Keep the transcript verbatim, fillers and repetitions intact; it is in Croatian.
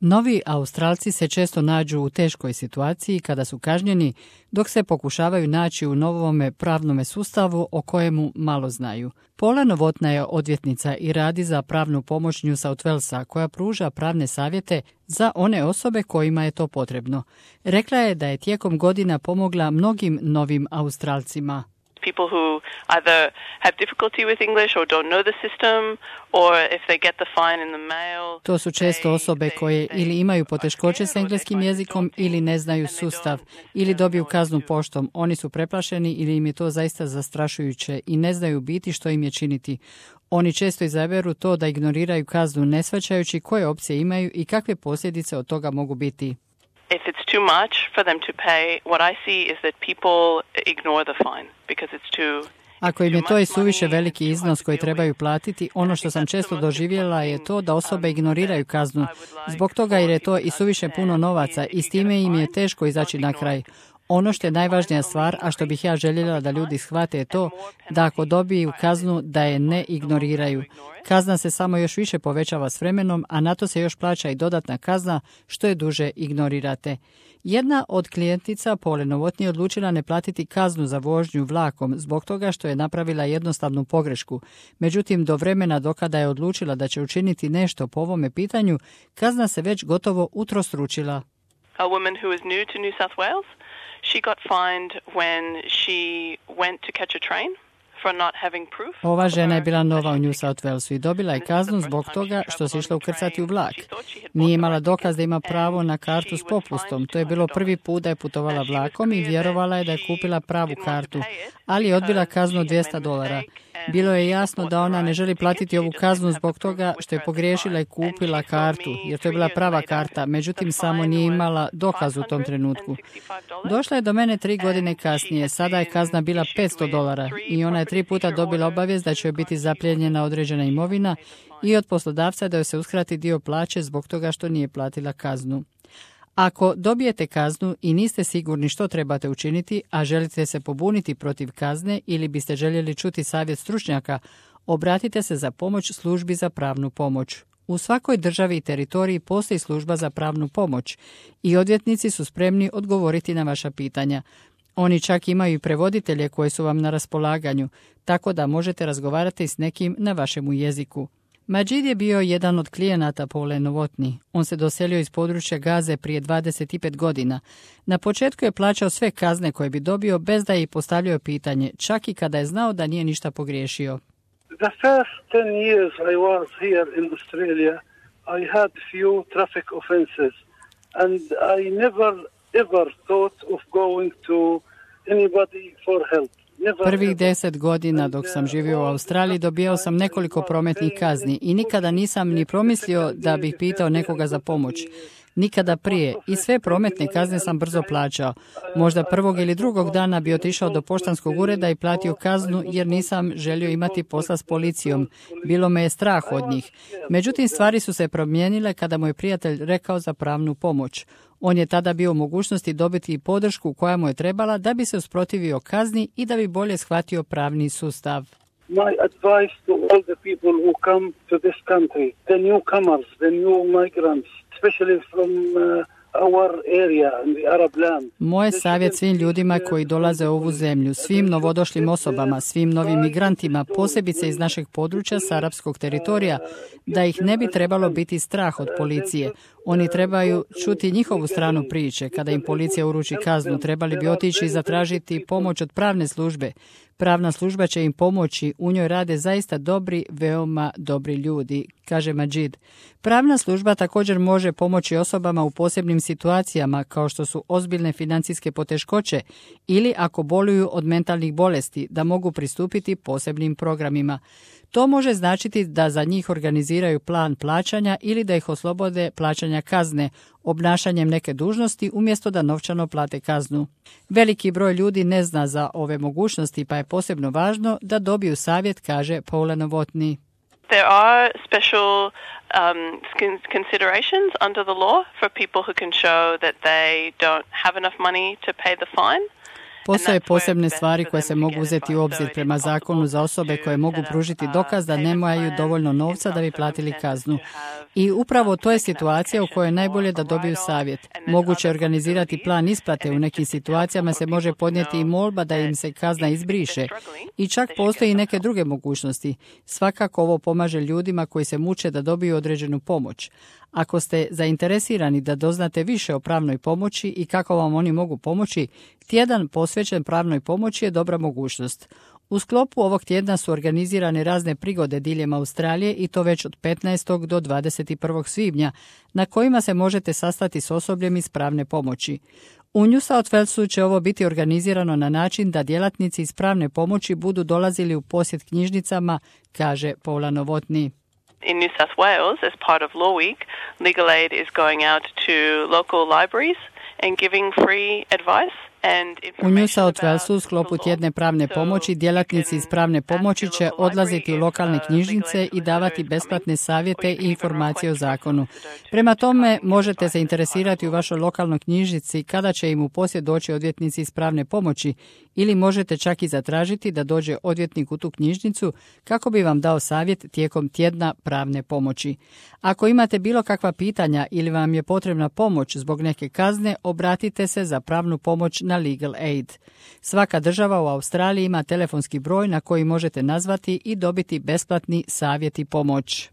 Novi Australci se često nađu u teškoj situaciji kada su kažnjeni, dok se pokušavaju naći u novome pravnome sustavu o kojemu malo znaju. Paula Novotna je odvjetnica i radi za pravnu pomoć New South Walesa, koja pruža pravne savjete za one osobe kojima je to potrebno. Rekla je da je tijekom godina pomogla mnogim novim Australcima. People who either have difficulty with English or don't know the system, or if they get the fine in the mail. To su često osobe koje ili imaju poteškoće s engleskim jezikom ili ne znaju sustav, ili dobiju kaznu poštom. Oni su preplašeni ili im je to zaista zastrašujuće i ne znaju biti što im je činiti. Oni često izaberu to da ignoriraju kaznu ne shvaćajući koje opcije imaju i kakve posljedice od toga mogu biti. If it's too much for them to pay, what I see is that people ignore the fine because it's too... Ako im je to i suviše veliki iznos koji trebaju platiti, ono što sam često doživjela je to da osobe ignoriraju kaznu. Zbog toga jer je to i suviše puno novaca i s time im je teško izaći na kraj. Ono što je najvažnija stvar, a što bih ja željela da ljudi shvate je to da ako dobiju kaznu da je ne ignoriraju. Kazna se samo još više povećava s vremenom, a na to se još plaća i dodatna kazna što je duže ignorirate. Jedna od klijentica Paule Novotny je odlučila ne platiti kaznu za vožnju vlakom zbog toga što je napravila jednostavnu pogrešku. Međutim, do vremena do kada je odlučila da će učiniti nešto po ovome pitanju, kazna se već gotovo utrostručila. A woman who is new to New South Wales, she got fined when she went to catch a train. Ova žena je bila nova u New South Walesu i dobila je kaznu zbog toga što se išla ukrcati u vlak. Nije imala dokaz da ima pravo na kartu s popustom. To je bilo prvi put da je putovala vlakom i vjerovala je da je kupila pravu kartu, ali je odbila kaznu od dvjesto dolara. Bilo je jasno da ona ne želi platiti ovu kaznu zbog toga što je pogriješila i kupila kartu, jer to je bila prava karta, međutim samo nije imala dokaz u tom trenutku. Došla je do mene tri godine kasnije, sada je kazna bila petsto dolara i ona je tri puta dobila obavijest da će joj biti zaplijenjena određena imovina i od poslodavca da joj se uskrati dio plaće zbog toga što nije platila kaznu. Ako dobijete kaznu i niste sigurni što trebate učiniti, a želite se pobuniti protiv kazne ili biste željeli čuti savjet stručnjaka, obratite se za pomoć službi za pravnu pomoć. U svakoj državi i teritoriji postoji služba za pravnu pomoć i odvjetnici su spremni odgovoriti na vaša pitanja. Oni čak imaju i prevoditelje koji su vam na raspolaganju, tako da možete razgovarati s nekim na vašemu jeziku. Majid je bio jedan od klijenata Paule Novotny. On se doselio iz područja Gaze prije dvadeset pet godina. Na početku je plaćao sve kazne koje bi dobio bez da je postavljao pitanje, čak i kada je znao da nije ništa pogriješio. The first ten years I was here in Australia, I had few traffic offenses and I never ever thought of going to anybody for help. Prvih deset godina dok sam živio u Australiji dobijao sam nekoliko prometnih kazni i nikada nisam ni promislio da bih pitao nekoga za pomoć. Nikada prije. I sve prometne kazne sam brzo plaćao. Možda prvog ili drugog dana bi otišao do poštanskog ureda i platio kaznu jer nisam želio imati posla s policijom. Bilo me je strah od njih. Međutim, stvari su se promijenile kada mu je prijatelj rekao za pravnu pomoć. On je tada bio u mogućnosti dobiti i podršku koja mu je trebala da bi se usprotivio kazni i da bi bolje shvatio pravni sustav. My advice to all the people who come to this country, the newcomers, the new migrants, especially from uh, our area in the Arab land. Moj savjet svim ljudima koji dolaze u ovu zemlju, svim novodošlim osobama, svim novim migrantima, posebice iz našeg područja s arapskog teritorija, da ih ne bi trebalo biti strah od policije. Oni trebaju čuti njihovu stranu priče. Kada im policija uruči kaznu, trebali bi otići i zatražiti pomoć od pravne službe. Pravna služba će im pomoći, u njoj rade zaista dobri, veoma dobri ljudi, kaže Majid. Pravna služba također može pomoći osobama u posebnim situacijama kao što su ozbiljne financijske poteškoće ili ako boluju od mentalnih bolesti da mogu pristupiti posebnim programima. To može značiti da za njih organiziraju plan plaćanja ili da ih oslobode plaćanja kazne, obnašanjem neke dužnosti umjesto da novčano plate kaznu. Veliki broj ljudi ne zna za ove mogućnosti pa je posebno važno da dobiju savjet, kaže Paula Novotny. There are special um, considerations under the law for people who can show that they don't have enough money to pay the fine. Postoje posebne stvari koje se mogu uzeti u obzir prema zakonu za osobe koje mogu pružiti dokaz da nemaju dovoljno novca da bi platili kaznu. I upravo to je situacija u kojoj je najbolje da dobiju savjet. Moguće je organizirati plan isplate, u nekim situacijama se može podnijeti i molba da im se kazna izbriše. I čak postoji i neke druge mogućnosti. Svakako ovo pomaže ljudima koji se muče da dobiju određenu pomoć. Ako ste zainteresirani da doznate više o pravnoj pomoći i kako vam oni mogu pomoći, tjedan posvećen pravnoj pomoći je dobra mogućnost. U sklopu ovog tjedna su organizirane razne prigode diljem Australije i to već od petnaestog do dvadeset prvog svibnja, na kojima se možete sastati s osobljem iz pravne pomoći. U New South Walesu će ovo biti organizirano na način da djelatnici iz pravne pomoći budu dolazili u posjet knjižnicama, kaže Paula Novotny. In New South Wales, as part of Law Week, Legal Aid is going out to local libraries and giving free advice. U New South Walesu u sklopu tjedne pravne pomoći djelatnici iz pravne pomoći će odlaziti u lokalne knjižnice i davati besplatne savjete i informacije o zakonu. Prema tome možete se interesirati u vašoj lokalnoj knjižnici kada će im u posjet doći odvjetnici iz pravne pomoći ili možete čak i zatražiti da dođe odvjetnik u tu knjižnicu kako bi vam dao savjet tijekom tjedna pravne pomoći. Ako imate bilo kakva pitanja ili vam je potrebna pomoć zbog neke kazne, obratite se za pravnu pomoć na Legal Aid. Svaka država u Australiji ima telefonski broj na koji možete nazvati i dobiti besplatni savjet i pomoć.